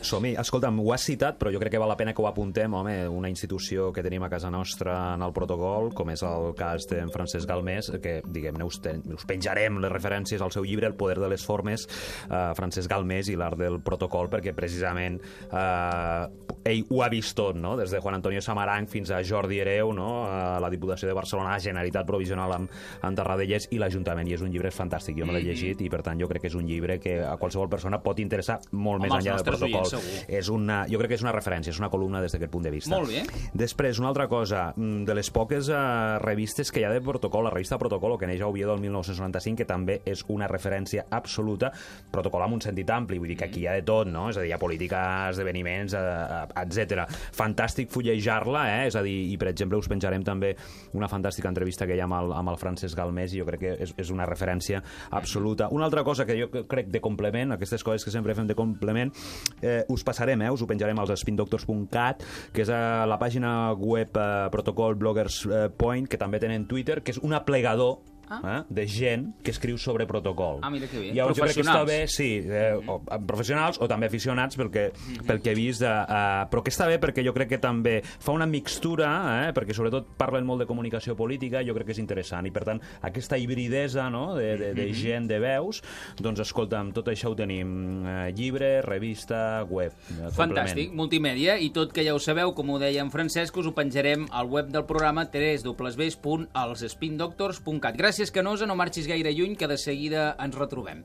Som-hi. Escolta'm, ho has citat, però jo crec que val la pena que ho apuntem, home, una institució que tenim a casa nostra en el protocol, com és el cas d'en Francesc Galmés, que, diguem-ne, us penjarem les referències al seu llibre El poder de les formes, Francesc Galmés i l'art del protocol, perquè precisament ell ho ha vist tot, no? Des de Juan Antonio Samaranch fins a Jordi Hereu, no? La Diputació de Barcelona, la Generalitat Provisional amb Tarradellas i l'Ajuntament, i és un llibre fantàstic, jo me l'he llegit, i per tant jo crec que és un llibre que a qualsevol persona pot interessar molt més enllà del protocol. Jo crec que és una referència, és una columna des d'aquest punt de vista. Molt bé. Després, una altra cosa, de les poques revistes que hi ha de protocol, la revista Protocolo, que neix a Oviedo el 1995, que també és una referència absoluta, protocol amb un sentit ampli, vull dir que aquí hi ha de tot, no? És a dir, hi ha política, esdeveniments, etc. Fantàstic fullejar-la, és a dir, i per exemple us penjarem també una fantàstica entrevista que hi ha amb el Francesc Galmés, i jo crec que és una referència absoluta. Una altra cosa que jo crec de complement, aquestes coses que sempre fem de complement, us passarem, us ho penjarem als spindoctors.cat, que és a la pàgina web Protocol Bloggers Point, que també tenen Twitter, que és un aplegador de gent que escriu sobre protocol. Mira que bé. Llavors, jo crec que està bé, sí, professionals o també aficionats, pel que he vist, però que està bé perquè jo crec que també fa una mixtura, perquè sobretot parlen molt de comunicació política, jo crec que és interessant, i per tant, aquesta hibridesa, no?, de gent, de veus, doncs escolta'm, tot això ho tenim, llibre, revista, web. Fantàstic, multimèdia, i tot que ja ho sabeu, com ho deia en Francesc, us ho penjarem al web del programa www.elspindoctors.cat. Gràcies, Canosa, no marxis gaire lluny, que de seguida ens retrobem.